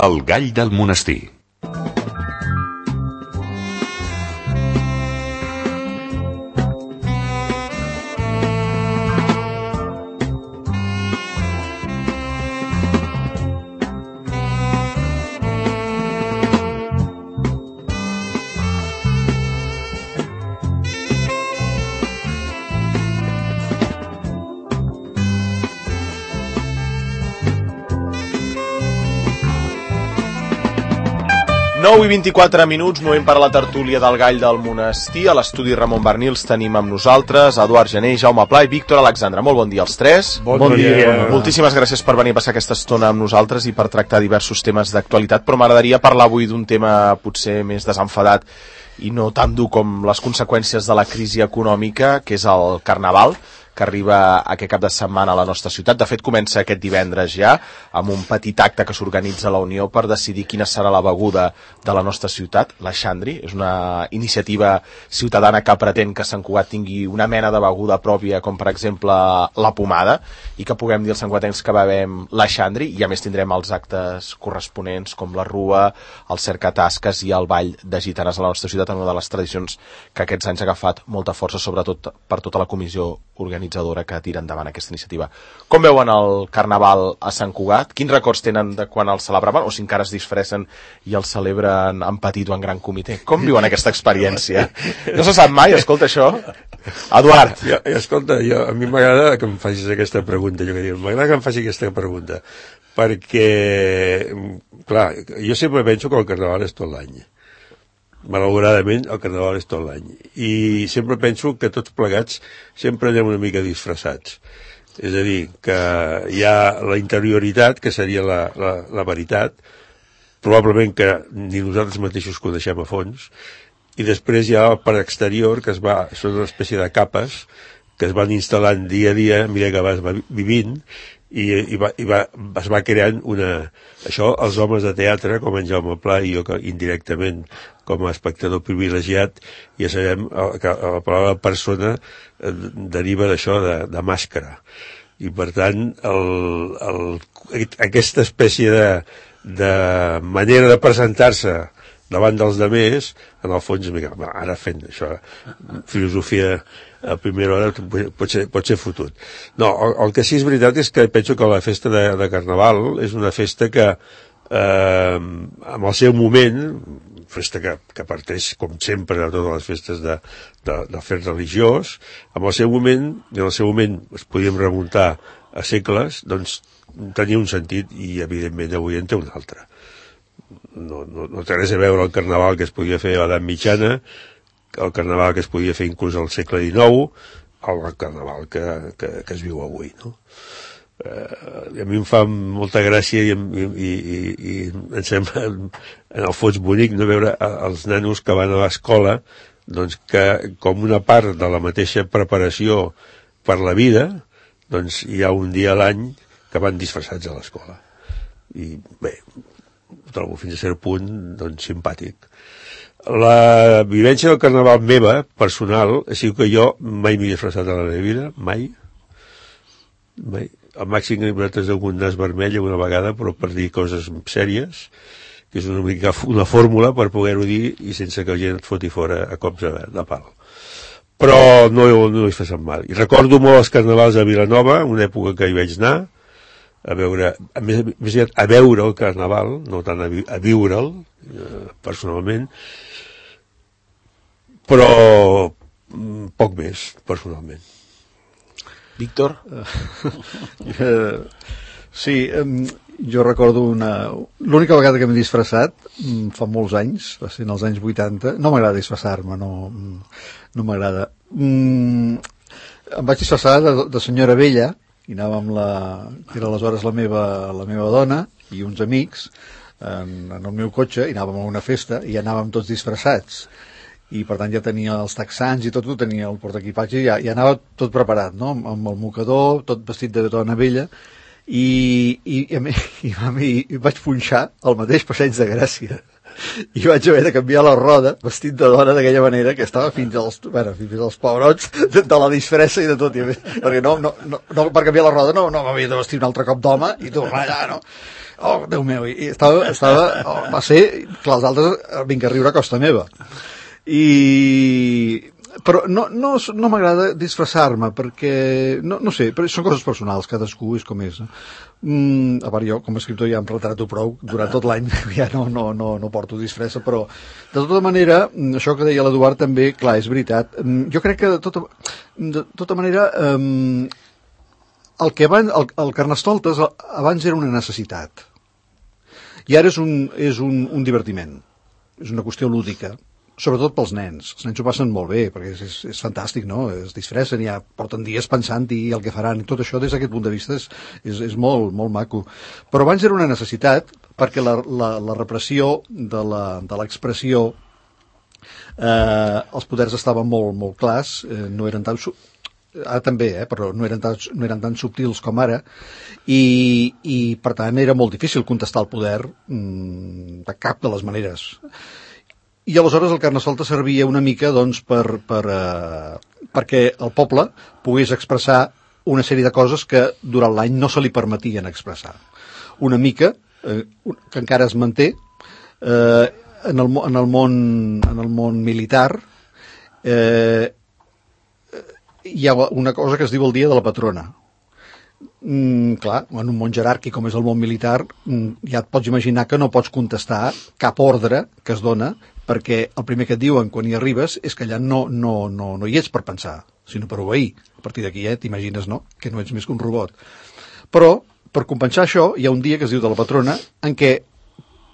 El gall del monestir. I 24 minuts, moment per a la tertúlia del gall del monestir. A l'estudi Ramon Bernils tenim amb nosaltres Eduard Gené, Jaume Pla i Víctor Alexandre. Molt bon dia als tres. Bon dia. Moltíssimes gràcies per venir a passar aquesta estona amb nosaltres i per tractar diversos temes d'actualitat, però m'agradaria parlar avui d'un tema potser més desenfadat i no tan dur com les conseqüències de la crisi econòmica, que és el Carnaval, que arriba aquest cap de setmana a la nostra ciutat. De fet, comença aquest divendres ja, amb un petit acte que s'organitza a la Unió per decidir quina serà la beguda de la nostra ciutat, la Xandri. És una iniciativa ciutadana que pretén que Sant Cugat tingui una mena de beguda pròpia, com per exemple la pomada, i que puguem dir als santcugatencs que bevem la Xandri, i a més tindrem els actes corresponents, com la Rua, el cercatasques i el ball de gitanes a la nostra ciutat, en una de les tradicions que aquests anys ha agafat molta força, sobretot per tota la comissió organitzadora que tira endavant aquesta iniciativa. Com veuen el Carnaval a Sant Cugat? Quins records tenen de quan el celebraven, o si encara es disfressen i el celebren en petit o en gran comitè? Com viuen aquesta experiència? No se sap mai, escolta això. Eduard. Escolta, a mi m'agrada que em facis aquesta pregunta, m'agrada que em faci aquesta pregunta, perquè, clar, jo sempre penso que el Carnaval és tot l'any. Malauradament el Carnaval és tot l'any i sempre penso que tots plegats sempre anem una mica disfressats, és a dir, que hi ha la interioritat, que seria la veritat, probablement que ni nosaltres mateixos coneixem a fons, i després hi ha el per exterior, que són una espècie de capes que es van instal·lant dia a dia a mesura que vas vivint, i es va creant això, els homes de teatre com en Jaume Pla i jo, que indirectament com a espectador privilegiat, ja sabem que la paraula persona deriva d'això, de màscara, i per tant aquesta espècie de manera de presentar-se davant dels demés, en el fons, ara fent això, filosofia a primera hora pot ser fotut. No, el que sí és veritat és que penso que la festa de Carnaval és una festa que, amb el seu moment, festa que parteix, com sempre, de totes les festes del fet religiós, amb el seu moment, i en el seu moment es podíem remuntar a segles, doncs tenia un sentit i, evidentment, avui en té un altre. No té res a veure el Carnaval que es podia fer a l'edat mitjana, el Carnaval que es podia fer inclús al segle XIX, el Carnaval que es viu avui, no? A mi em fa molta gràcia i em sembla en el fons bonic no veure els nanos que van a l'escola, doncs que com una part de la mateixa preparació per la vida, doncs hi ha un dia a l'any que van disfressats a l'escola. I bé, ho trobo fins a cert punt doncs simpàtic. La vivència del Carnaval meva, personal, ha sigut que jo mai m'he disfressat a la meva vida, mai. Al màxim he anat amb un nas vermell una vegada, però per dir coses sèries, que és una mica una fórmula per poder-ho dir i sense que la gent et foti fora a cops de pal. Però no he fet mal. I recordo molt els carnavals a Vilanova, una època que hi vaig anar, a veure el Carnaval, no tant a viure'l, personalment, però poc més, personalment. Víctor? Sí, jo recordo l'única vegada que m'he disfressat fa molts anys, va ser en els anys 80. No m'agrada disfressar-me, no m'agrada. Em vaig disfressar de senyora vella, i anàvem que era aleshores la meva dona i uns amics en el meu cotxe, i anàvem a una festa i anàvem tots disfressats, i per tant ja tenia els texans i tot, tenia el portaequipatge, ja anava tot preparat, no? Amb el mocador, tot vestit de dona vella, i vaig punxar al mateix Passeig de Gràcia i vaig haver de canviar la roda vestit de dona d'aquella manera, que estava fins als pebrots de la disfressa i de tot, perquè no per canviar la roda no m'havia de vestir un altre cop d'home i tornar allà, no? Oh, Déu meu, i va ser, clar, els altres vinc a riure a costa meva. Però no m'agrada disfressar-me, perquè, no sé, però són coses personals, cadascú és com és. A part, jo, com a escriptor, ja em retrato prou, durant tot l'any ja no porto disfressa, però, de tota manera, això que deia l'Eduard també, clar, és veritat. Jo crec que, de tota manera, el Carnestoltes abans era una necessitat, i ara és un divertiment, és una qüestió lúdica, sobretot pels nens. Els nens ho passen molt bé, perquè és fantàstic, no? Es disfressen, ja porten dies pensant-hi el que faran, i tot això des d'aquest punt de vista és molt, molt maco. Però abans era una necessitat, perquè la repressió de l'expressió, els poders estaven molt, molt clars, no eren tan... Ara també, però no eren tan subtils com ara, i per tant era molt difícil contestar el poder de cap de les maneres. I aleshores el Carnestoltes servia una mica doncs, perquè el poble pogués expressar una sèrie de coses que durant l'any no se li permetien expressar. Una mica, que encara es manté, en el món militar, hi ha una cosa que es diu el dia de la patrona. Clar, en un món jeràrquic com és el món militar, ja et pots imaginar que no pots contestar cap ordre que es dona, perquè el primer que et diuen quan hi arribes és que allà no hi ets per pensar, sinó per obeir. A partir d'aquí t'imagines, no?, que no ets més que un robot. Però, per compensar això, hi ha un dia que es diu de la patrona, en què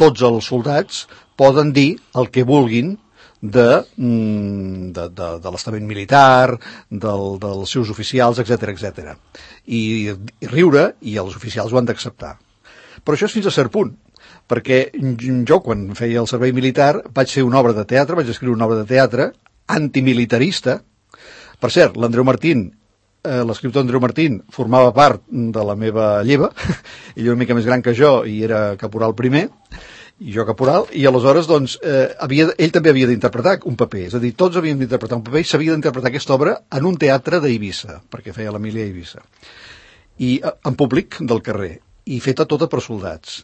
tots els soldats poden dir el que vulguin de l'estament militar, dels seus oficials, etc. I riure, i els oficials ho han d'acceptar. Però això és fins a cert punt, perquè jo, quan feia el servei militar, vaig fer una obra de teatre, vaig escriure una obra de teatre antimilitarista. Per cert, l'Andreu Martín, l'escriptor Andreu Martín, formava part de la meva lleva, ell era una mica més gran que jo i era caporal primer, i jo caporal, i aleshores doncs, ell també havia d'interpretar un paper, és a dir, tots havíem d'interpretar un paper i s'havia d'interpretar aquesta obra en un teatre d'Eivissa, perquè feia l'Emília a Eivissa, i en públic del carrer, i feta tota per soldats.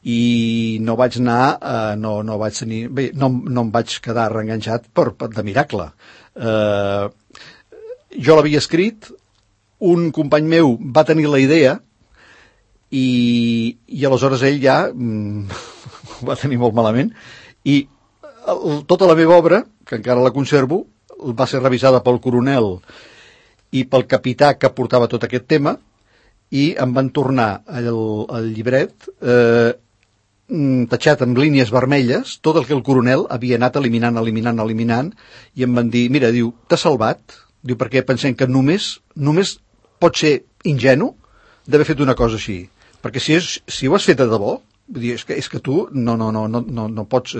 I no vaig anar, no em vaig quedar reenganxat de miracle. Jo l'havia escrit, un company meu va tenir la idea, i aleshores ell ja ho va tenir molt malament, i tota la meva obra, que encara la conservo, va ser revisada pel coronel i pel capità que portava tot aquest tema, i em van tornar el llibret tatxat amb línies vermelles, tot el que el coronel havia anat eliminant, i em van dir, mira, diu, t'ha salvat, diu, perquè pensem que només pot ser ingenu d'haver fet una cosa així, perquè si ho has fet de debò, vull dir, és que tu no pots...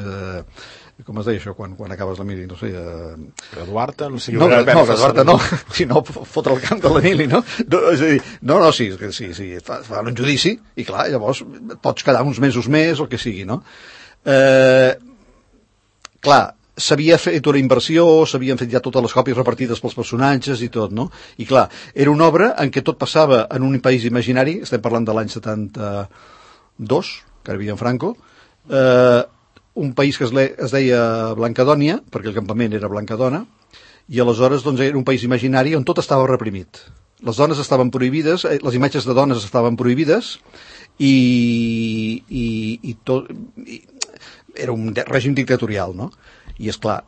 com es deia això quan acabes la mili, no sé... Graduar-te, no sé... No, graduar-te no, sinó fotre el camp de la mili, no? És a dir, sí, fan un judici, i clar, llavors pots quedar uns mesos més, o el que sigui, no? Clar, s'havia fet una inversió, s'havien fet ja totes les còpies repartides pels personatges i tot, no? I clar, era una obra en què tot passava en un país imaginari, estem parlant de l'any 72, que ara havia en Franco, un país que es deia Blancadònia, perquè el campament era Blancadona, i aleshores doncs, era un país imaginari on tot estava reprimit. Les dones estaven prohibides, les imatges de dones estaven prohibides, i tot... era un règim dictatorial, no? I esclar,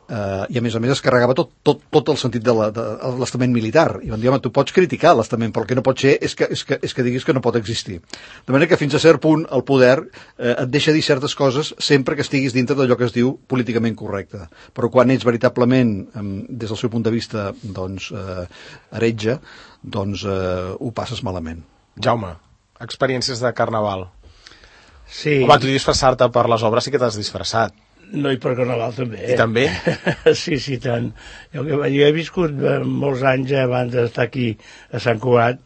i a més es carregava tot el sentit de l'estament militar, i van dir, home, tu pots criticar l'estament, però el que no pot ser és que diguis que no pot existir. De manera que fins a cert punt el poder et deixa dir certes coses sempre que estiguis dintre d'allò que es diu políticament correcte, però quan ets veritablement, des del seu punt de vista, doncs, heretge, doncs ho passes malament. Jaume, experiències de carnaval. Sí. Home, tu disfressar-te per les obres sí que t'has disfressat. No, i per Carnaval també. I també? Sí, tant. Jo he viscut molts anys abans d'estar aquí a Sant Cugat,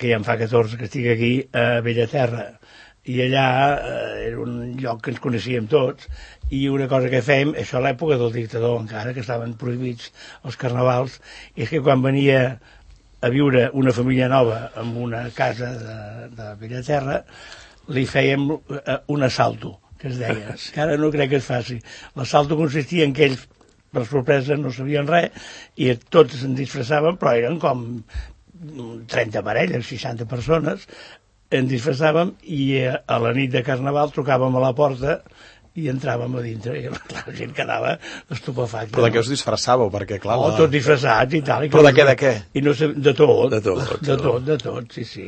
que ja en fa 14 que estic aquí, a Bellaterra. I allà era un lloc que ens coneixíem tots, i una cosa que fèiem, això a l'època del dictador encara, que estaven prohibits els carnavals, és que quan venia a viure una família nova en una casa de Bellaterra, li fèiem un assalto, que es deia, que ara no crec que es faci. L'assalto consistia en que ells, per sorpresa, no sabien res, i tots se'n disfressaven, però eren com 30 parelles, 60 persones, ens disfressàvem, i a la nit de Carnaval trucàvem a la porta i entràvem a dintre, i la gent quedava estupefacta. Però de què us disfressàveu? Perquè, clar... Tots disfressats i tal. Però de què? I no sé, de tot. De tot, sí, sí.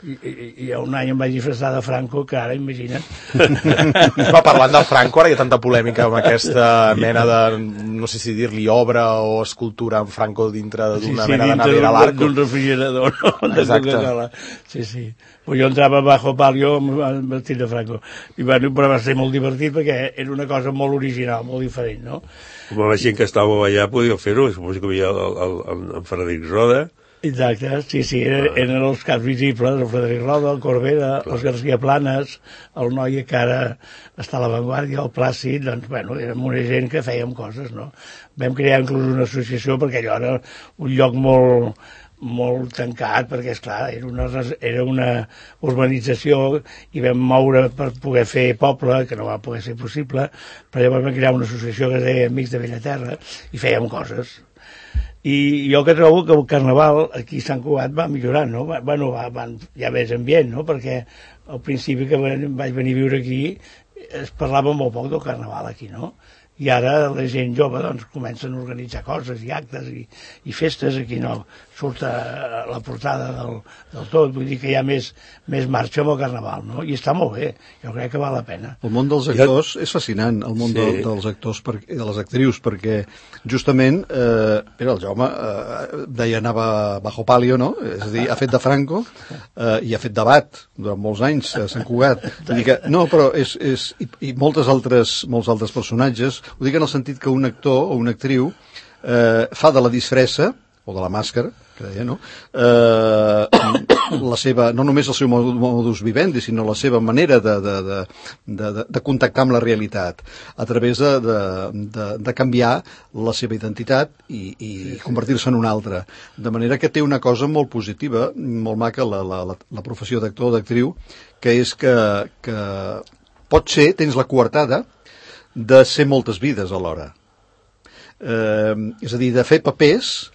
I un any em vaig disfressar de Franco, que ara, imagina't. Va, parlant de Franco, ara hi ha tanta polèmica amb aquesta mena de, no sé si dir-li obra o escultura amb Franco dintre d'una mena de navera a l'arco. D'un refrigerador, no? Exacte. Sí. Pues jo entrava bajo palio amb vestit de Franco. I bueno, però va ser molt divertit perquè era una cosa molt original, molt diferent, no? Com la gent que estàveu allà podia fer-ho, suposo que hi havia en Frederic Roda. Exacte, sí, eren els caps visibles, el Frederic Roda, el Corbera, els García Planes, el noi que ara està a l'avantguàrdia, el Plàcid, doncs, bueno, érem una gent que fèiem coses, no? Vam crear inclús una associació, perquè allò era un lloc molt tancat, perquè, esclar, era una urbanització i vam moure per poder fer poble, que no va poder ser possible, però llavors vam crear una associació que es deia Amics de Bellaterra i fèiem coses. I jo que trobo que el Carnaval aquí a Sant Cugat va millorant, no? Bueno, hi ha més ambient, no? Perquè al principi que vaig venir a viure aquí es parlava molt poc del Carnaval aquí, no? I ara la gent jove doncs comencen a organitzar coses i actes i festes, aquí no surt a la portada del tot, vull dir que hi ha més marxa amb el Carnaval, no? I està molt bé, jo crec que val la pena. El món dels actors és fascinant, el món dels actors i de les actrius, perquè justament el Jaume deia anava bajo palio, no? És a dir, ha fet de Franco i ha fet de Bat durant molts anys a Sant Cugat. Vull dir que, no, però i molts altres personatges. Ho dic en el sentit que un actor o una actriu fa de la disfressa, o de la màscara, que deia, no? La seva, no només el seu modus vivendi, sinó la seva manera de contactar amb la realitat, a través de canviar la seva identitat i convertir-se en una altra. De manera que té una cosa molt positiva, molt maca, la professió d'actor o d'actriu, que és que pot ser, tens la coartada de ser moltes vides alhora. És a dir, de fer papers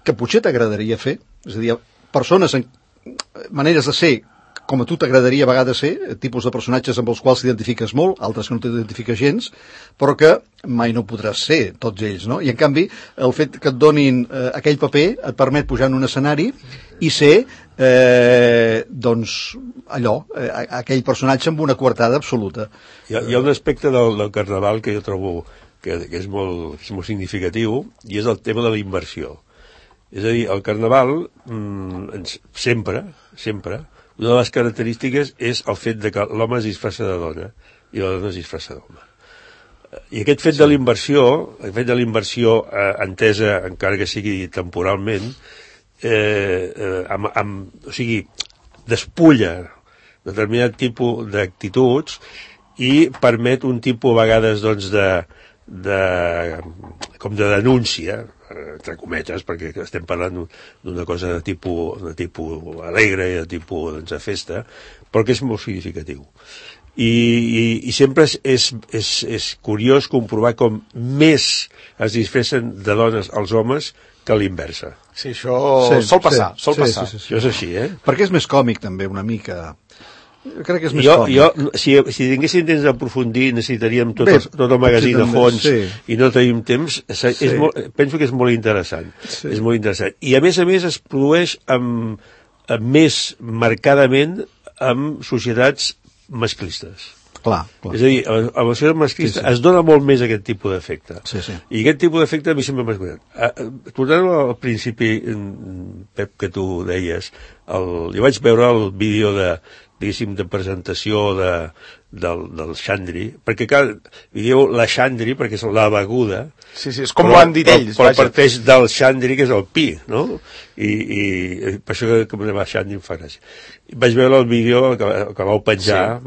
que potser t'agradaria fer, és a dir, persones, maneres de ser com a tu t'agradaria a vegades ser, tipus de personatges amb els quals t'identifiques molt, altres que no t'identifiques gens, però que mai no podràs ser tots ells, no? I en canvi, el fet que et donin aquell paper et permet pujar en un escenari i ser, doncs, allò, aquell personatge amb una coartada absoluta. Hi ha un aspecte del Carnaval que jo trobo que és molt significatiu, i és el tema de la inversió. És a dir, el Carnaval, sempre, una de les característiques és el fet de que l'home es disfressa de dona i la dona es disfressa d'home. I aquest fet de l'inversió, entesa, encara que sigui temporalment, o sigui, despulla determinat tipus d'actituds i permet un tipus a vegades doncs, com de denúncia, entre cometes, perquè estem parlant d'una cosa de tipus alegre i de tipus de festa, però que és molt significatiu. I sempre és curiós comprovar com més es disfressen de dones els homes que a l'inversa. Sí, això sol passar. Sí. Això és així, Perquè és més còmic, també, una mica. Jo crec que és més còmic. Si tinguéssim temps d'aprofundir, necessitaríem tot el magazín a fons i no tenim temps. Penso que és molt interessant. És molt interessant. I a més es produeix més marcadament amb societats masclistes. Clar. És a dir, a la societat masclista es dona molt més aquest tipus d'efecte. I aquest tipus d'efecte a mi sempre m'ha cuidat. Tornant al principi, Pep, que tu deies, jo vaig veure el vídeo de presentació del Xandri, perquè dieu la Xandri perquè és la beguda. Sí, és com ho han dit ells. Però parteix del Xandri, que és el pi, no? I per això que me va Xandri em fa gràcia. Vaig veure el vídeo que vau penjar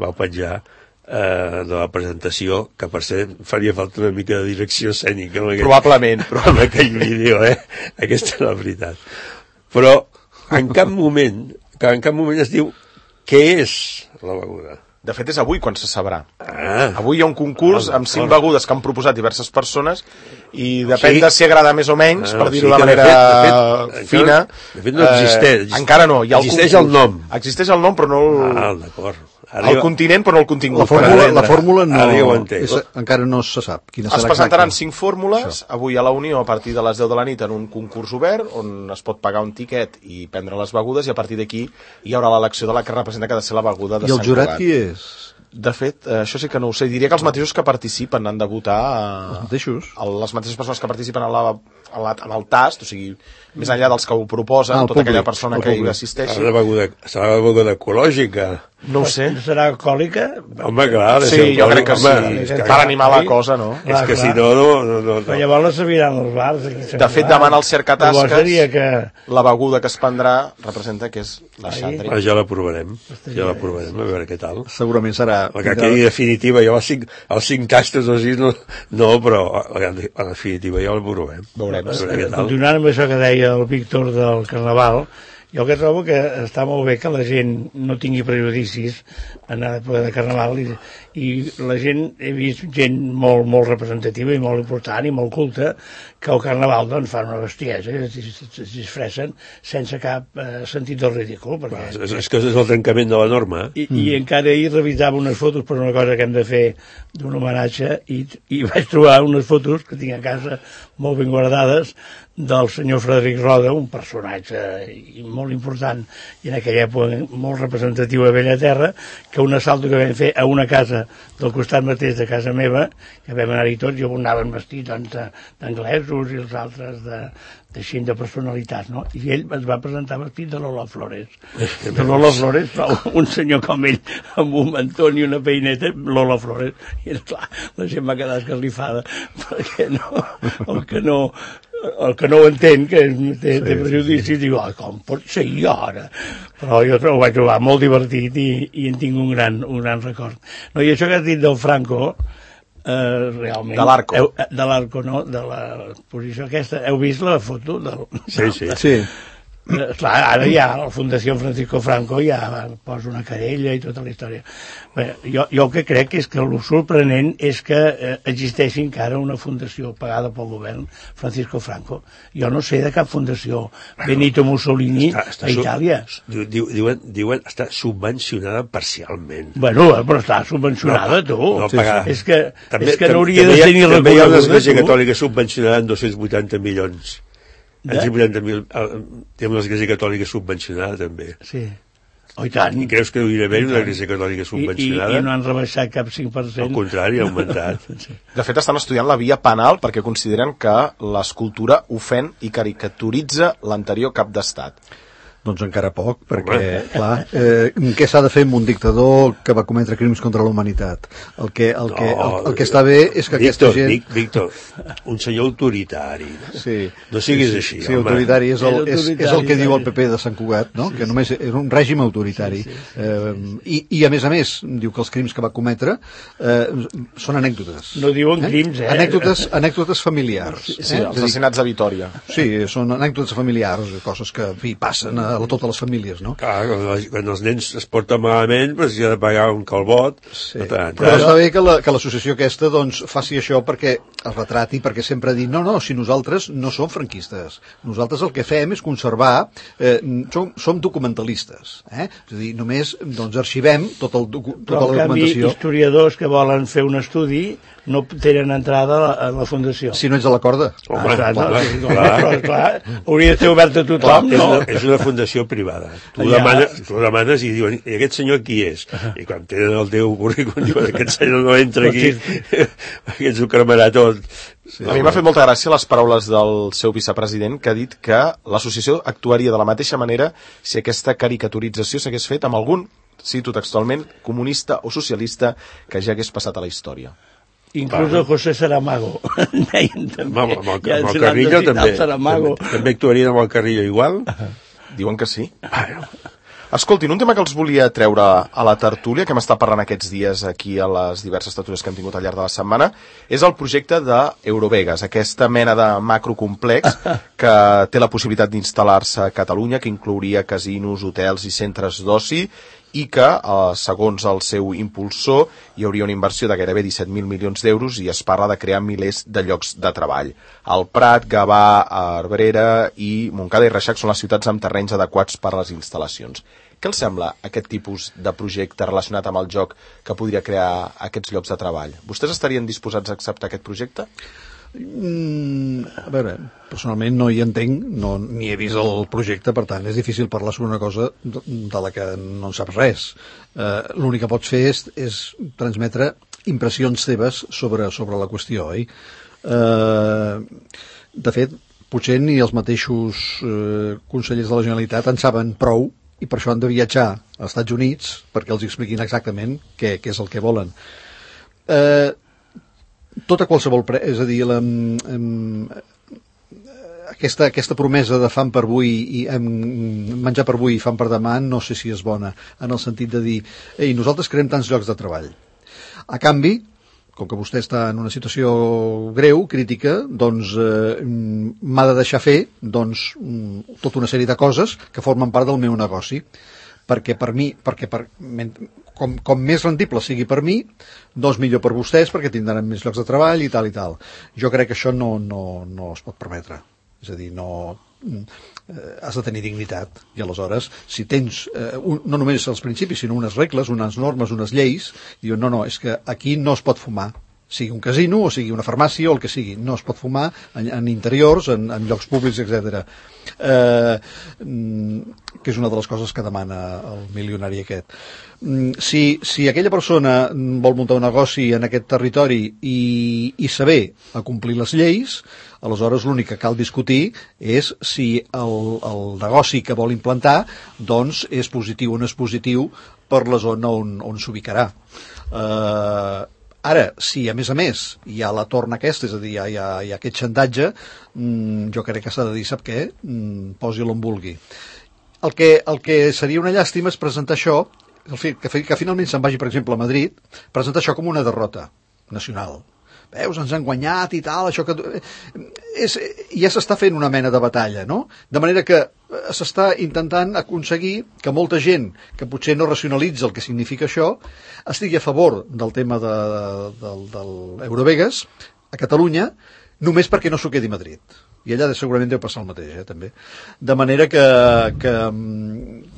de la presentació, que per ser faria falta una mica de direcció escènica probablement amb aquell vídeo, aquesta és la veritat. Però en cap moment es diu Què és la beguda? De fet, és avui quan se sabrà. Ah. Avui hi ha un concurs amb 5 begudes que han proposat diverses persones i depèn sigui- de si agrada més o menys, per o dir-ho sigui de que manera fina. de fet no existeix. Encara no. Hi ha Existeix concurs. el nom. Existeix el nom, però no D'acord. el continent, però no el contingut. La fórmula no, Ara ja ho entenc. encara no se sap. Quina Es serà presentaran exacta. 5 fórmules avui a la Unió a partir de les 10 de la nit en un concurs obert on es pot pagar un tiquet i prendre les begudes i a partir d'aquí hi haurà l'elecció de la que representa que ha de ser la beguda de I el Sant jurat Cugat. qui és? De fet, això sí que no ho sé. Diria que els mateixos que participen han de votar... Els mateixos? Les mateixes persones que participen en el tast, o sigui, més enllà dels que ho proposen, el tota públic, aquella persona el que hi públic. assisteixi. Serà la beguda ecològica. No ho sé. Serà alcohòlica? Home, clar. Sí, jo crec que sí. És que, Per animar la cosa, no? és que si clar. no. Però llavors la serviran als bars. Aquí a Sant De fet, Cugat. demana el cercatasques. Llavors seria que... La beguda que es prendrà representa que és la xandri. Ja la provarem. Ja la provarem, a veure què tal. Segurament serà... La que quedi definitiva, jo els 5 tastos o 6 no, però en definitiva ja la provarem. Veurem. A veure què tal. Continuant amb això que deia el Víctor del Carnaval, jo que trobo que està molt bé que la gent no tingui prejudicis en l'època de Carnaval i la gent, he vist gent molt representativa i molt important i molt culta que al Carnaval doncs fan una bestiesa, es disfressen sense cap sentit del ridícul perquè... És que és el trencament de la norma. I encara ahir revisava unes fotos per una cosa que hem de fer d'un homenatge i vaig trobar unes fotos que tinc a casa molt ben guardades del senyor Frederic Roda, un personatge molt important i en aquella època molt representatiu a Bellaterra, que un assalt que vam fer a una casa del costat mateix de casa meva, que vam anar-hi tots, jo anaven vestits d'anglesos i els altres de personalitats, no? I ell es va presentar vestit de Lola Flores. De Lola Flores, però un senyor com ell, amb un mantó i una peineta, Lola Flores. I clar, la gent va quedar escarlifada, perquè el que no ho entén, que té prejudici, diu, com pot ser jo ara? Però jo ho vaig trobar molt divertit i en tinc un gran record. No, i això que has dit del Franco, realment... De l'Arco. De l'Arco, no? De la posició aquesta. Heu vist la foto? Sí. Clar, ara ja la Fundació Francisco Franco ja posa una querella i tota la història. Bé, jo el que crec és que el sorprenent és que existeixi encara una fundació pagada pel govern Francisco Franco. Jo no sé de cap fundació Benito Mussolini a Itàlia. Diuen està subvencionada parcialment. Bueno, però està subvencionada, tu. No pagada. És que no hauria de ser ni reconeguda. També hi ha una església catòlica subvencionada en 280 milions. En 180.000, té una església catòlica subvencionada també. Sí. Oh, i tant. I creus que hauria d'haver una església catòlica subvencionada? I no han rebaixat cap 5%. Al contrari, ha augmentat. De fet, estan estudiant la via penal perquè consideren que l'escultura ofèn i caricaturitza l'anterior cap d'estat. Doncs encara poc, perquè, clar, què s'ha de fer amb un dictador que va cometre crims contra la humanitat? El que està bé és que aquesta gent... Víctor, un senyor autoritari. Sí. No siguis així, sí, home. autoritari és el que diu el PP de Sant Cugat, no? Que només és un règim autoritari. I a més, diu que els crims que va cometre són anècdotes. No diuen crims, Anècdotes familiars. Sí, els assassinats a Vitòria. Sí, són anècdotes familiars, coses que, en fi, passen a totes les famílies, no? Clar, quan els nens es porten malament, doncs hi ha de pagar un calbot. Sí. Però està bé que l'associació aquesta doncs, faci això perquè es retrati, perquè sempre ha dit, no, si nosaltres no som franquistes, nosaltres el que fem és conservar, som documentalistes, és a dir, només doncs, arxivem tota la documentació. Però, en canvi, historiadors que volen fer un estudi no tenen entrada a la fundació. Si no ets a la corda. Clar, hauria de ser obert a tothom, no? És una fundació privada. Tu demanes i diuen, i aquest senyor qui és? I quan tenen el teu currículum diuen, aquest senyor no entra aquí, aquest ho cremarà tot. A mi m'ha fet molta gràcia les paraules del seu vicepresident, que ha dit que l'associació actuaria de la mateixa manera si aquesta caricaturització s'hagués fet amb algun, cito textualment, comunista o socialista que ja hagués passat a la història. Inclús el José Saramago. Deien també. Amb el Carrillo també actuarien amb el Carrillo igual? Diuen que sí. Escoltin, un tema que els volia treure a la tertúlia, que hem estat parlant aquests dies aquí a les diverses tertúlies que hem tingut al llarg de la setmana, és el projecte d'Eurovegas, aquesta mena de macrocomplex que té la possibilitat d'instal·lar-se a Catalunya, que inclouria casinos, hotels i centres d'oci, i que, segons el seu impulsor, hi hauria una inversió de gairebé 17.000 milions d'euros i es parla de crear milers de llocs de treball. El Prat, Gavà, Abrera i Montcada i Reixac són les ciutats amb terrenys adequats per a les instal·lacions. Què els sembla aquest tipus de projecte relacionat amb el joc que podria crear aquests llocs de treball? Vostès estarien disposats a acceptar aquest projecte? A veure, personalment no hi entenc, ni he vist el projecte, per tant és difícil parlar sobre una cosa de la que no en saps res. L'únic que pots fer és transmetre impressions teves sobre la qüestió, oi? De fet, potser ni els mateixos consellers de la Generalitat en saben prou i per això han de viatjar als Estats Units perquè els expliquin exactament què és el que volen. Tota qualsevol és a dir, aquesta promesa de fam per avui i menjar per avui i fam per demà no sé si és bona, en el sentit de dir ei, nosaltres creem tants llocs de treball. A canvi, com que vostè està en una situació greu, crítica, doncs m'ha de deixar fer tota una sèrie de coses que formen part del meu negoci. Perquè per mi, com més rendible sigui per mi, doncs millor per vostès, perquè tindran més llocs de treball i tal i tal. Jo crec que això no es pot permetre. És a dir, has de tenir dignitat. I aleshores, si tens no només els principis, sinó unes regles, unes normes, unes lleis, diuen, no, és que aquí no es pot fumar. Sigui un casino o sigui una farmàcia o el que sigui. No es pot fumar en interiors, en llocs públics, etc. Que és una de les coses que demana el milionari aquest. Si aquella persona vol muntar un negoci en aquest territori i saber acomplir les lleis, aleshores l'únic que cal discutir és si el negoci que vol implantar doncs és positiu o no és positiu per la zona on s'ubicarà. Ara, si a més hi ha la torna aquesta, és a dir, hi ha aquest xantatge, jo crec que s'ha de dir, sap què? Posi-lo on vulgui. El que seria una llàstima és presentar això, que finalment se'n vagi, per exemple, a Madrid, presentar això com una derrota nacional. Veus, ens han guanyat i tal, això que... ja s'està fent una mena de batalla, no? De manera que s'està intentant aconseguir que molta gent que potser no racionalitza el que significa això estigui a favor del tema del Eurovegas a Catalunya només perquè no s'ho quedi a Madrid. I allà segurament deu passar el mateix, també. De manera que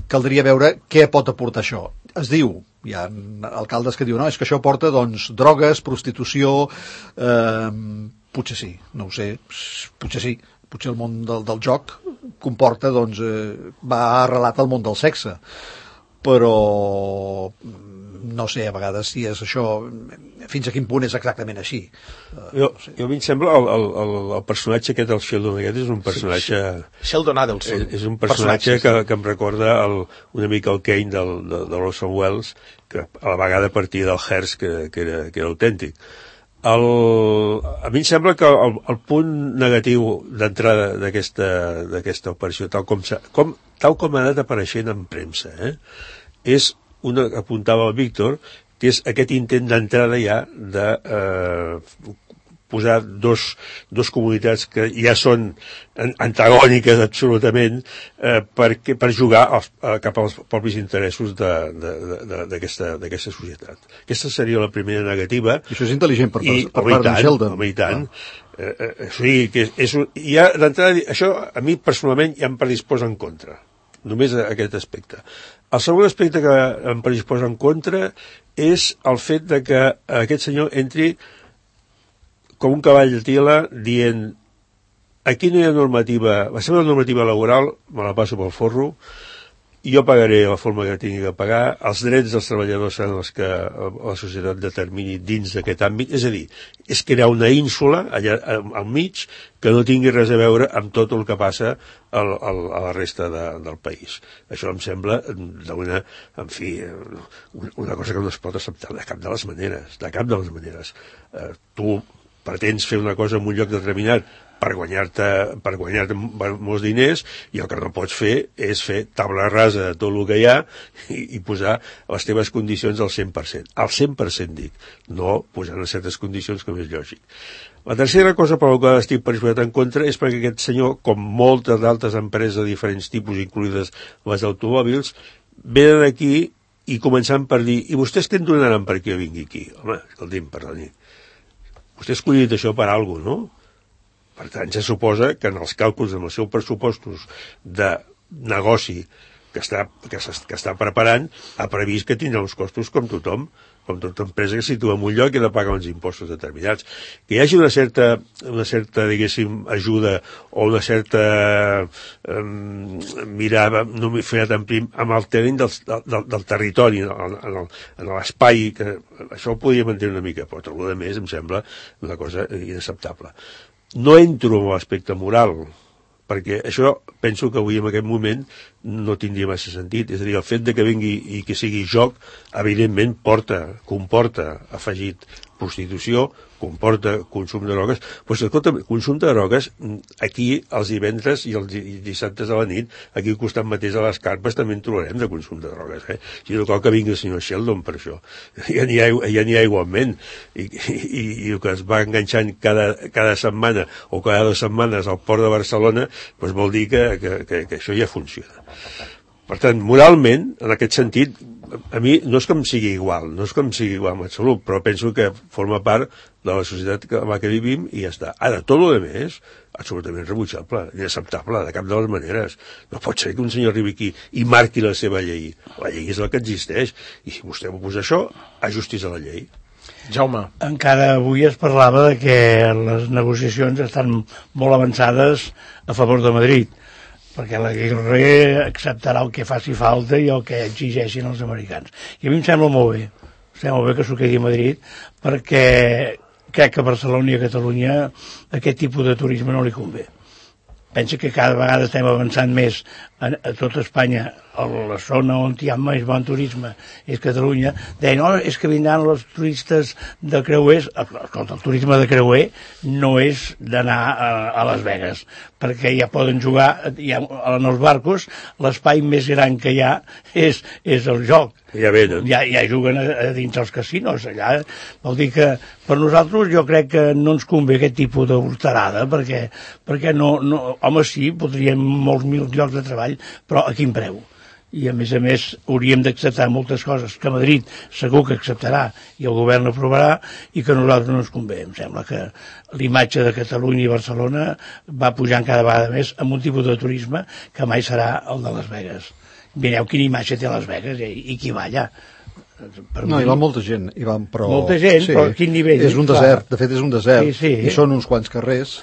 caldria veure què pot aportar això. Es diu, hi ha alcaldes que diuen, no, és que això porta, doncs, drogues, prostitució, potser sí, no ho sé, potser sí. Potser el món del joc comporta, doncs, va arrelat al món del sexe. Però no sé a vegades si és això, fins a quin punt és exactament així. Jo a mi em sembla el personatge aquest, el Sheldon aquest, és un personatge... Sheldon Adelson. És un personatge que em recorda una mica el Kane de Orson Welles, que a la vegada partia del Hearst, que era autèntic. A mi em sembla que el punt negatiu d'entrada d'aquesta operació, tal com ha anat apareixent en premsa, és una que apuntava el Víctor, que és aquest intent d'entrada ja de posar dos comunitats que ja són antagòniques absolutament per jugar cap als propis interessos d'aquesta societat. Aquesta seria la primera negativa. I això és intel·ligent per part de Sheldon. Home, i tant. Sí, que ja d'entrada, això a mi personalment ja em predisposa en contra. Només aquest aspecte. El segon aspecte que em predisposa en contra és el fet de que aquest senyor entri com un cavall de tila dient aquí no hi ha normativa, la seva normativa laboral me la passo pel forro, jo pagaré la forma que tingui que pagar, els drets dels treballadors seran els que la societat determini dins d'aquest àmbit, és a dir, és crear una ínsula allà al mig que no tingui res a veure amb tot el que passa a la resta del país. Això em sembla una cosa que no es pot acceptar de cap de les maneres. Tu pretens fer una cosa en un lloc determinat per guanyar-te molts diners, i el que no pots fer és fer tabla rasa de tot el que hi ha i posar les teves condicions al 100%. Al 100% dic, no posant en certes condicions com és lògic. La tercera cosa per la qual estic predisposat en contra és perquè aquest senyor, com moltes d'altres empreses de diferents tipus, incluïdes les automòbils, venen aquí i començant per dir, i vostès què en donaran perquè jo vingui aquí? Home, escolti'm, perdoni, vostè ha escollit això per alguna cosa, no? Per tant, ja suposa que en els càlculs amb els seus pressupostos de negoci que està preparant, ha previst que tindrà uns costos com tothom, com tota empresa que situa en un lloc i ha de pagar uns impostos determinats. Que hi hagi una certa diguéssim, ajuda o una certa mirada amb el terreny del territori, en l'espai, que això ho podríem entendre una mica, però tot el més em sembla una cosa inacceptable. No entro en l'aspecte moral, perquè això penso que avui en aquest moment no tindria massa sentit. És a dir, el fet de que vingui i que sigui joc, evidentment comporta afegit prostitució, comporta consum de drogues, però escolta, consum de drogues, aquí els divendres i els dissabtes a la nit, aquí al costat mateix a les carpes també en trobarem de consum de drogues, Si no cal que vingui el senyor Sheldon per això. Ja n'hi ha igualment. I el que es va enganxant cada setmana o cada 2 setmanes al port de Barcelona, doncs vol dir que això ja funciona. Per tant, moralment, en aquest sentit, a mi no és que em sigui igual, en absolut, però penso que forma part de la societat en la que vivim i ja està. Ara, tot el més, absolutament rebutjable, inacceptable, de cap de les maneres. No pot ser que un senyor arribi aquí i marqui la seva llei. La llei és la que existeix, i si vostè m'ho posa això, ajustis a la llei. Jaume. Encara avui es parlava de que les negociacions estan molt avançades a favor de Madrid, perquè la Guerrero acceptarà el que faci falta i el que exigeixin els americans. I a mi em sembla molt bé que s'ho quedi a Madrid, perquè crec que a Barcelona i a Catalunya aquest tipus de turisme no li convé. Pensa que cada vegada estem avançant més a tota Espanya, a la zona on hi ha més bon turisme és Catalunya. Deien, no, és que vindran els turistes de creuers. Escolta, el turisme de creuer no és d'anar a Las Vegas, perquè ja poden jugar, en els barcos l'espai més gran que hi ha és el joc. Ja venen. Ja juguen a dins els casinos allà. Vol dir que per nosaltres jo crec que no ens convé aquest tipus de volterada, perquè no, home, sí, podríem molts mil llocs de treball, però a quin preu? I a més hauríem d'acceptar moltes coses que Madrid segur que acceptarà i el govern aprovarà i que a nosaltres no ens convé. Em sembla que l'imatge de Catalunya i Barcelona va pujant cada vegada més amb un tipus de turisme que mai serà el de Las Vegas. Mireu quina imatge té Las Vegas i qui va allà. No, hi va molta gent, però... Molta gent, sí, però a quin nivell? És un desert, de fet és un desert, sí. I són uns quants carrers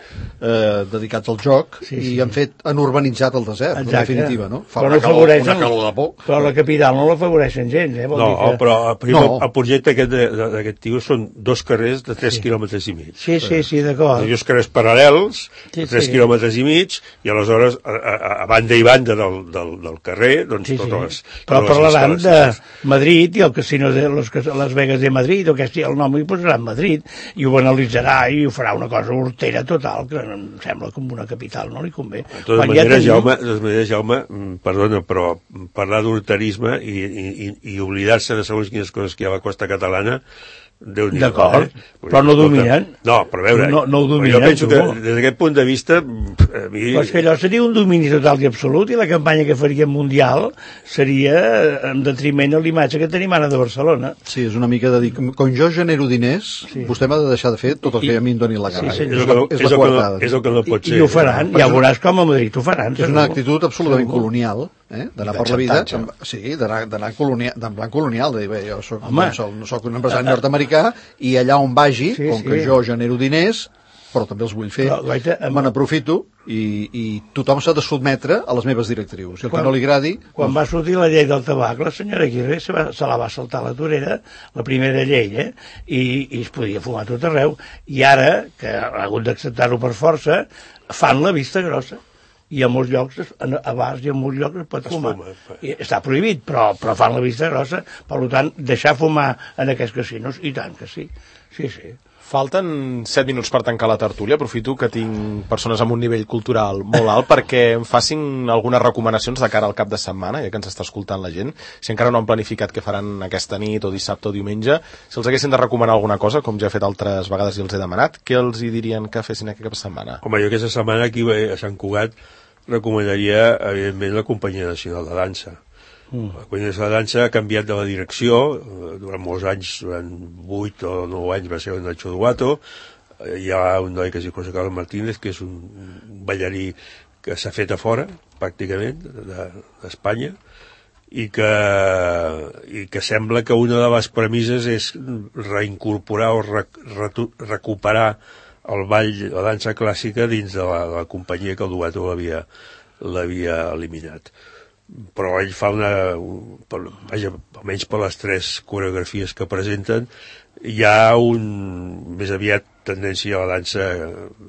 dedicats al joc, i han urbanitzat el desert, en definitiva, no? Fa una calor de por. Però la capital no l'afavoreixen gens, No, però el projecte d'aquest tio són 2 carrers de 3 quilòmetres i mig. Sí, d'acord. 2 carrers paral·lels, 3 quilòmetres i mig, i aleshores, a banda i banda del carrer, doncs totes les... Però parlaran de Madrid i el casino de Las Vegas de Madrid, o que el nom hi posarà en Madrid, i ho banalitzarà i ho farà una cosa hortera total, que em sembla com una capital, no li convé. De totes maneres, Jaume, perdona, però parlar d'horterisme i oblidar-se de segons quines coses que hi ha a la costa catalana, d'acord, però no dominen. No, però a veure, no ho dominen, jo penso que des d'aquest punt de vista a mi... Però és que allò seria un domini total i absolut, i la campanya que faria mundial seria en detriment a l'imatge que tenim ara de Barcelona. Sí, és una mica de dir, com jo genero diners, vostè m'ha de deixar de fer tot el que a mi em doni la gana. És la coartada. És el que no pot ser. I ho faran, ja veuràs com a Madrid ho faran. És una actitud absolutament colonial, d'anar per la vida, d'anar en plan colonial, de dir, bé, jo no soc un empresari nord-americà, i allà on vagi, com que jo genero diners, però també els vull fer, me n'aprofito, i tothom s'ha de sotmetre a les meves directrius. I el que no li agradi... Quan va sortir la llei del tabac, la senyora Aguirre se la va saltar a la torera, la primera llei, i es podia fumar tot arreu, i ara, que ha hagut d'acceptar-ho per força, fan la vista grossa. I a molts llocs, a bars i a molts llocs es pot fumar. Està prohibit, però fan la vista grossa. Per tant, deixar fumar en aquests casinos, i tant que sí. Sí. Falten 7 minuts per tancar la tertúlia. Aprofito que tinc persones amb un nivell cultural molt alt perquè em facin algunes recomanacions de cara al cap de setmana, ja que ens està escoltant la gent. Si encara no han planificat què faran aquesta nit o dissabte o diumenge, si els haguessin de recomanar alguna cosa, com ja he fet altres vegades i els he demanat, què els hi dirien que fessin aquest cap de setmana? Home, jo aquesta setmana aquí a Sant Cugat recomanaria, evidentment, la Companyia Nacional de Dansa. La companyia de la dansa ha canviat de la direcció, durant molts anys, durant 8 o 9 anys va ser el Nacho Duato, hi ha un noi que es diu José Carlos Martínez, que és un ballarí que s'ha fet a fora, pràcticament, d'Espanya, i que sembla que una de les premisses és reincorporar o recuperar el ball, la dansa clàssica dins de la companyia que el Duato l'havia eliminat. Però ell fa vaja, almenys per les 3 coreografies que presenten, hi ha més aviat tendència a la dansa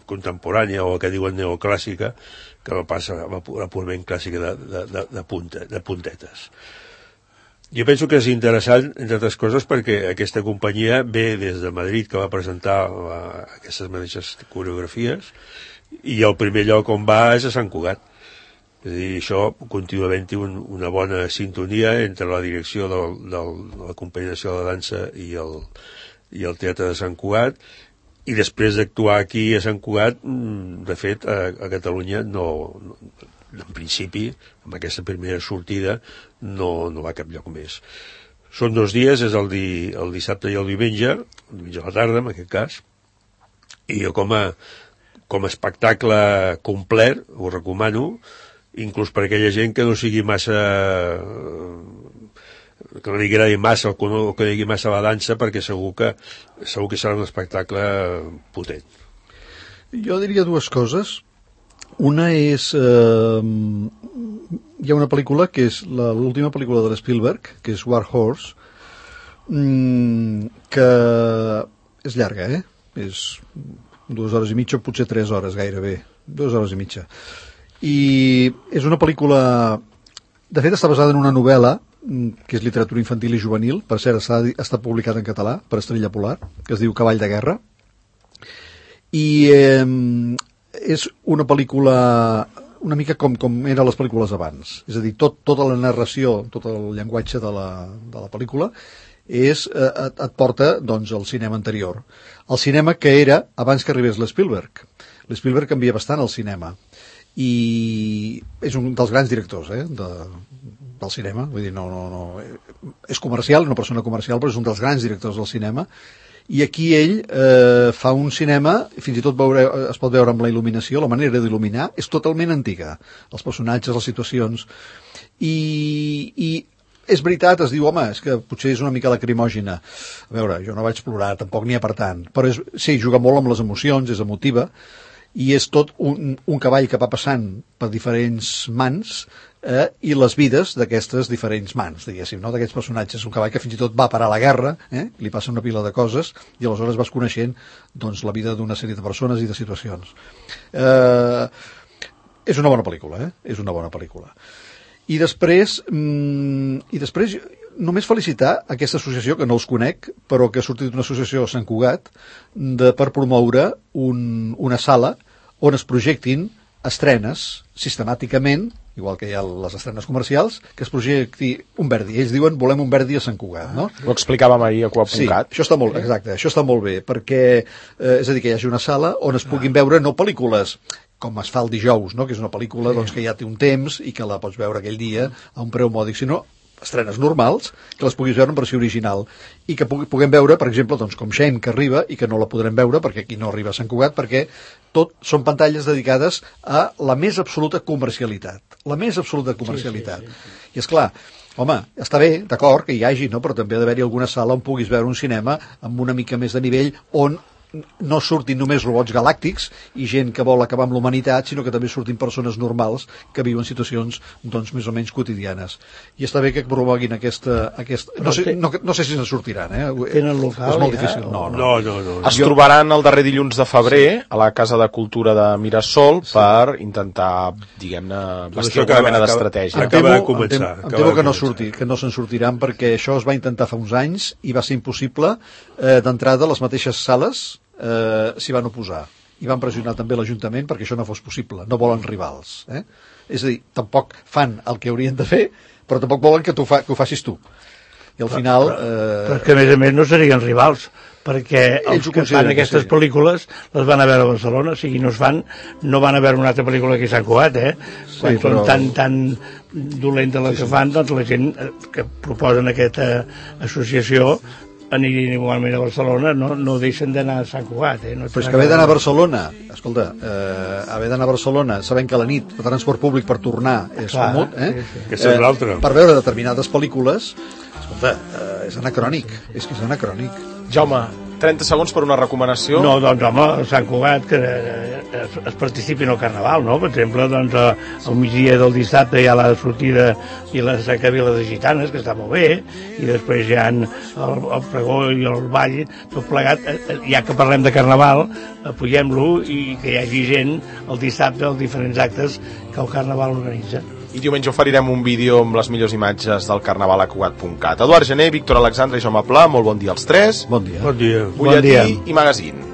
contemporània o el que diuen neoclàssica, que no passa a la purament clàssica de puntetes. Jo penso que és interessant, entre altres coses, perquè aquesta companyia ve des de Madrid, que va presentar aquestes mateixes coreografies, i el primer lloc on va és a Sant Cugat. És a dir, això continua havent-hi una bona sintonia entre la direcció de la companyia de la dansa i el Teatre de Sant Cugat, i després d'actuar aquí a Sant Cugat, de fet, a Catalunya en principi, amb aquesta primera sortida, no va a cap lloc més. Són 2 dies, és el dissabte i el diumenge a la tarda, en aquest cas, i jo com a espectacle complet ho recomano, inclús per aquella gent que no sigui massa, que no li agradi massa o que no digui massa la dansa, perquè segur que serà un espectacle potent. Jo diria 2 coses. Una és... hi ha una pel·lícula que és l'última pel·lícula de Spielberg, que és War Horse, que és llarga, És 2 hores i mitja, potser 3 hores gairebé. 2 hores i mitja. I és una pel·lícula... De fet, està basada en una novel·la que és literatura infantil i juvenil, per cert, està publicada en català per Estrella Polar, que es diu Cavall de guerra, i és una pel·lícula una mica com eren les pel·lícules abans, és a dir, tota la narració, tot el llenguatge de la pel·lícula et porta doncs al cinema anterior, el cinema que era abans que arribés l'Spielberg. L'Spielberg canvia bastant el cinema i és un dels grans directors del cinema, vull dir, no és comercial, una persona comercial, però és un dels grans directors del cinema, i aquí ell fa un cinema, fins i tot es pot veure amb la il·luminació, la manera d'il·luminar és totalment antiga, els personatges, les situacions, i és veritat, es diu, home, és que potser és una mica lacrimògena. A veure, jo no vaig plorar, tampoc n'hi ha per tant, però sí, juga molt amb les emocions, és emotiva, i és tot un cavall que va passant per diferents mans i les vides d'aquestes diferents mans, diguéssim, no? D'aquests personatges. Un cavall que fins i tot va parar a la guerra, li passa una pila de coses, i aleshores vas coneixent doncs, la vida d'una sèrie de persones i de situacions. És una bona pel·lícula, és una bona pel·lícula. I després només felicitar aquesta associació, que no els conec, però que ha sortit d'una associació a Sant Cugat, per promoure una sala on es projectin estrenes sistemàticament, igual que hi ha les estrenes comercials, que es projecti un Verdi. Ells diuen, volem un Verdi a Sant Cugat, no? Ho explicàvem ahir a Coap.cat. Sí, això està molt, exacte, això està molt bé, perquè, és a dir, que hi hagi una sala on es puguin veure no pel·lícules com es fa el dijous, no? Que és una pel·lícula doncs, que ja té un temps i que la pots veure aquell dia a un preu mòdic, sinó estrenes normals, que les puguis veure en versió original i que puguem veure, per exemple, doncs, com Shane, que arriba i que no la podrem veure perquè aquí no arriba a Sant Cugat, perquè tot són pantalles dedicades a la més absoluta comercialitat. La més absoluta comercialitat. Sí. I és clar, home, està bé, d'acord, que hi hagi, no? Però també ha d'haver-hi alguna sala on puguis veure un cinema amb una mica més de nivell, on no surtin només robots galàctics i gent que vol acabar amb l'humanitat, sinó que també surtin persones normals que viuen situacions doncs, més o menys quotidianes. I està bé que promoguin aquesta... No sé si se'n sortiran, Tenen local, és molt difícil. No. Es trobaran el darrer dilluns de febrer a la Casa de Cultura de Mirasol per intentar, diguem-ne, bastir alguna mena d'estratègia. Em temo que no se'n sortiran, perquè això es va intentar fa uns anys i va ser impossible. D'entrada, les mateixes sales s'hi van oposar i van pressionar també l'Ajuntament perquè això no fos possible, no volen rivals, és a dir, tampoc fan el que haurien de fer, però tampoc volen que ho facis tu, i al final però que a més no serien rivals, perquè Ells els ho que consideren fan que aquestes sí. pel·lícules les van a veure a Barcelona, o sigui, no van a veure una altra pel·lícula que a Sant Cugat, quan però- són tan dolentes les que fan, doncs la gent que proposen aquesta associació anirien igualment a Barcelona, no deixen d'anar a Sant Cugat, no Però és que haver d'anar a Barcelona, escolta, haver d'anar a Barcelona sabent que a la nit el transport públic per tornar és Clar, comut, sí. Aquesta és l'altra. per veure determinades pel·lícules, escolta, és anacrònic, és que és anacrònic. Jaume, 30 segons per una recomanació. No, doncs home, a Sant Cugat que es participi en el Carnaval, no? Per exemple, doncs al migdia del dissabte hi ha la sortida i la cercavila de gitanes, que està molt bé, i després hi ha el pregó i el ball, tot plegat, ja que parlem de Carnaval, apoyem-lo i que hi hagi gent el dissabte als diferents actes que el Carnaval organitza. I diumenge oferirem un vídeo amb les millors imatges del Carnaval a Cugat.cat. Eduard Gené, Víctor Alexandre i Jaume Pla, molt bon dia als tres. Bon dia. Bon dia. Butlletí dia. i magazine.